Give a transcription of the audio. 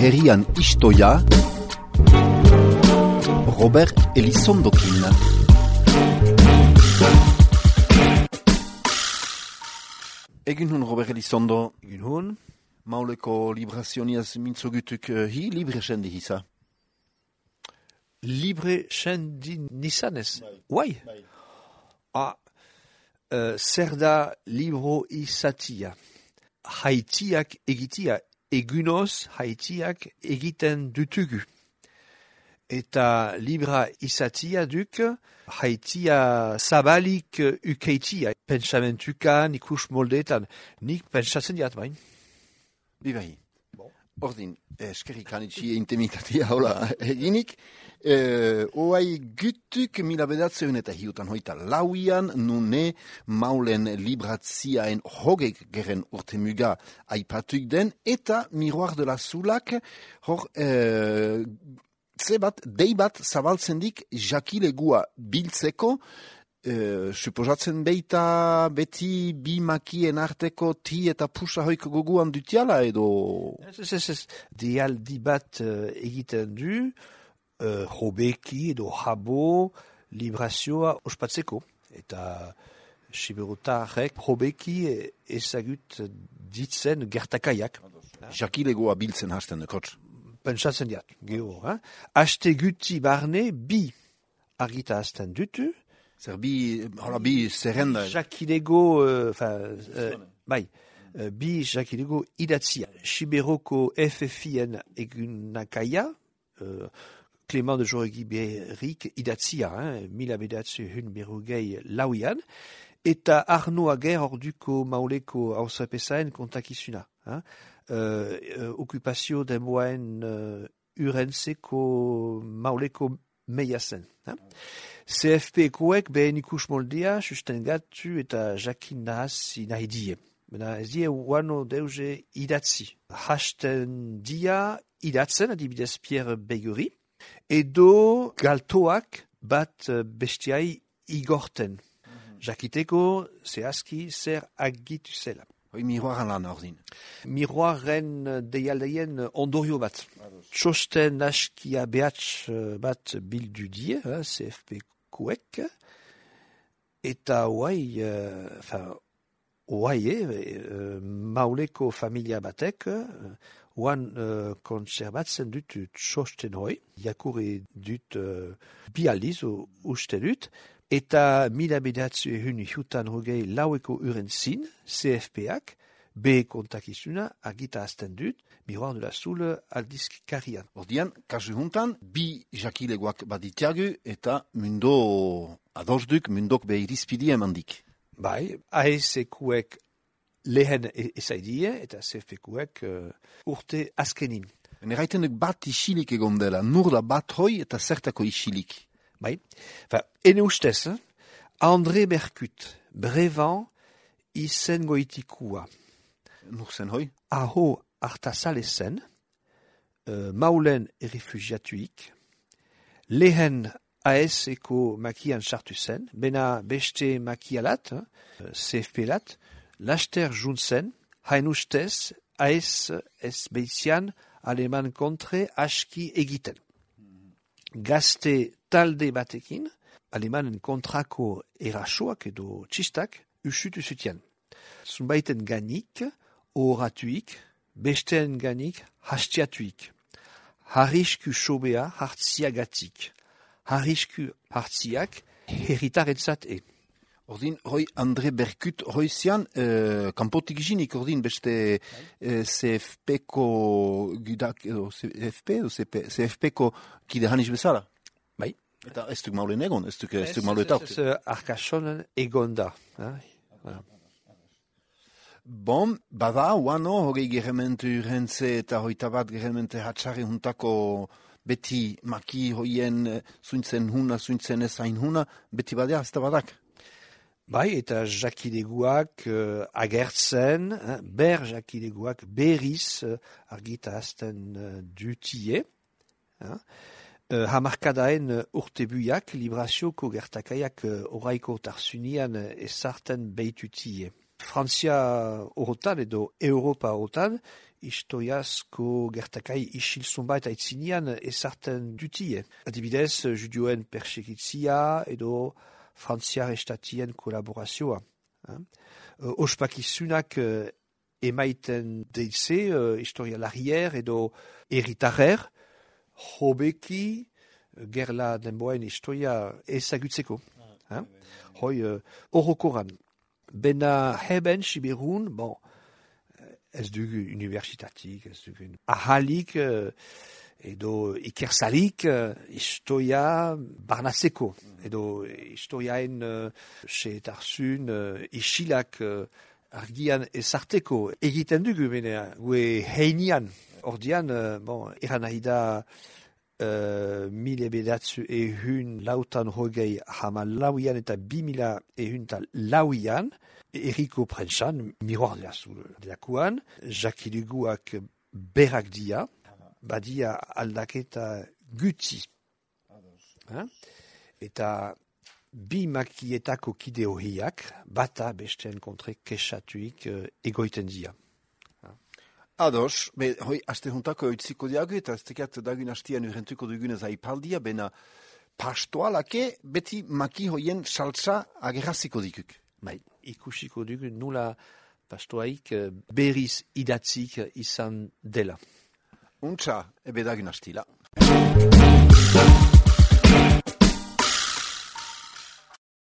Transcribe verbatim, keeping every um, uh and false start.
herrian istoia, Robert Elizondokin. Egin hun Robert Elizondo. Egin hun. Mauleko librazioniaz mintzogutuk uh, hi, libre sendi hisa. Libre sendi nizanez. Bai. Ah, uh, zer da libro izatia. Haitiak egitia. Egunoz haitiak egiten dutugu. Eta libra izatia duk, haitia zabalik ukeitia. Pentsamentukan, ikus moldeetan. Nik pentsatzen diat bain. Bibai. Ordin, eskerrik anitxi intimitatia hola eginik. E, oai gutuk mila bedatzeun eta hiutan hoita lauian, nune maulen libratziaen hogek geren urtemuga aipatuk den, eta miroir de la Zulak, hor... E, Ze bat, dei bat zabaltzen dik jakilegua biltzeko, e, suposatzen beita beti bi makien arteko ti eta pusa hoiko goguan dutiala edo... Ez, ez, ez, ez. Dialdi bat uh, egiten du, uh, hobeki edo habo librazioa ospatzeko. Eta siberotarrek hobeki ezagut ditzen gertakaiak. Jakilegua biltzen hasten dekotz. Pentsatzen diat, geho, eh? Aste guti barne bi argita azten dutu. Zer bi, hola, bi zerrenda. Jakilego, uh, uh, bai, uh, bi jakilego idatzia. Siberoko F F I-en egunakaia, uh, Clément de Joregi-Berrik idatzia, eh? Mila bedatzu hun berrogei lauian, eta Arno Ager orduko mauleko hausapesaen kontakizuna, eh? Uh, uh, okupazio denboaen uh, urentzeko mauleko meiazen. Eh? C F P-koek behen ikus moldea sustengatu eta jakin nahazi nahi die. Bena ez die uano deuze idatzi. Hasten dia idatzen, adibidez Pierre Beguri, edo galtoak bat bestiai igorten. Mm-hmm. Jakiteko zehazki zer agitu zela. Hoi miroaran lan ordin. Miroaren deialdeien ondorio bat. Txosten askia behatz bat bildu die, eh, C F P-koek, eta oai, enfin, oai, eh, mauleko familia batek, oan uh, konserbatzen dut txosten hoi, jakurri dut uh, bi aldiz, uste dut, eta mila bedatzu ehun jutan hogei laueko uren zin, C F P-ak, be kontakizuna argita azten dut, Miroir de la Zule aldizkarian. Ordian, kasu juntan, bi jakilegoak baditiagu eta mundo adozduk, mundok be irizpidi emandik. Bai, A S E-kuek lehen ezaidie eta C F P-kuek uh, urte azkenin. Neraiten duk bat isilik egon dela, nur da bat hoi eta zertako isilik. Bai, enfin, ene ustez, eh? André Berkut, brevan izen goitikua. Nur zen hoi? Aho hartazale zen, uh, maulen errefugiatuik, lehen A S E-ko makian sartu zen, bena beste makialat, eh? C F P-lat, laster juntzen, hain ustez, A S ez beitzian aleman kontre aski egiten. Gazte talde batekin, alemanen kontrako erasoak edo txistak usutu zutian. Zunbaiten ganik, oratuik, besteen ganik, hastiatuik. Harrisku sobea hartziagatik. Harrisku hartziak herritaretzat e. Ordin, hoi André Berkut hoizian, eh, kanpotik jinik, ordin, beste eh, C F P-ko gudak, edo C F P, edo C F P-ko kide haniz bezala? Bai. Eta ez duk maulen egon, ez duk, ez duk maulen tauk. Ez, ez, arkasonen egon da. Voilà. Bon, bada, uano, hogei gerementu urentze eta hoita bat geremente hatxarri juntako beti maki hoien zuintzen huna, zuintzen ez hain huna, beti badea, ez da badak. Bai, eta jakileguak uh, agertzen, eh, ber jakileguak berriz uh, argita azten uh, dutie. Eh? Uh, hamarkadaen uh, urtebuiak, librazioko gertakaiak uh, oraiko tarsunian uh, ezarten behitutie. Frantzia horretan edo Europa horretan, historiazko gertakai isilzun bat aitzinean ezarten dutie. Adibidez, judioen persegitzia edo Frantziar estatien kolaborazioa. Ospakizunak emaiten deize, historialarier edo erritarrer, hobeki gerla denboen historia ezagutzeko. Hoi, horrokoran. Bena heben Siberun, bon, ez dugu universitatik, ez dugu ahalik, edo ikersalik, historia barnazeko, edo historiaen seetarzun, isilak argian ezarteko. Egiten dugu, bena, gue heinian, ordian, bon, eran nahi da, Uh, mile bedatzu ehun lautan hogei hamalauian eta bi mila ehun eta lauian, erriko prentsan, miroardeazu delakuan, jakiliguak berak dia, badia aldaketa guti. Ha? Eta bi makietako kide horiak, bata besteen kontre kesatuik uh, egoiten dia. Ados, be, hoi, aste juntako eutziko diago, eta ez tekat dagun hastian urrentuko dugunez aipaldia, bena pastoalake beti maki hoien saltza agerraziko dikuk. Bai, ikusiko dugu nula pastoaik berriz idatzik izan dela. Untxa, ebe dagun hastila.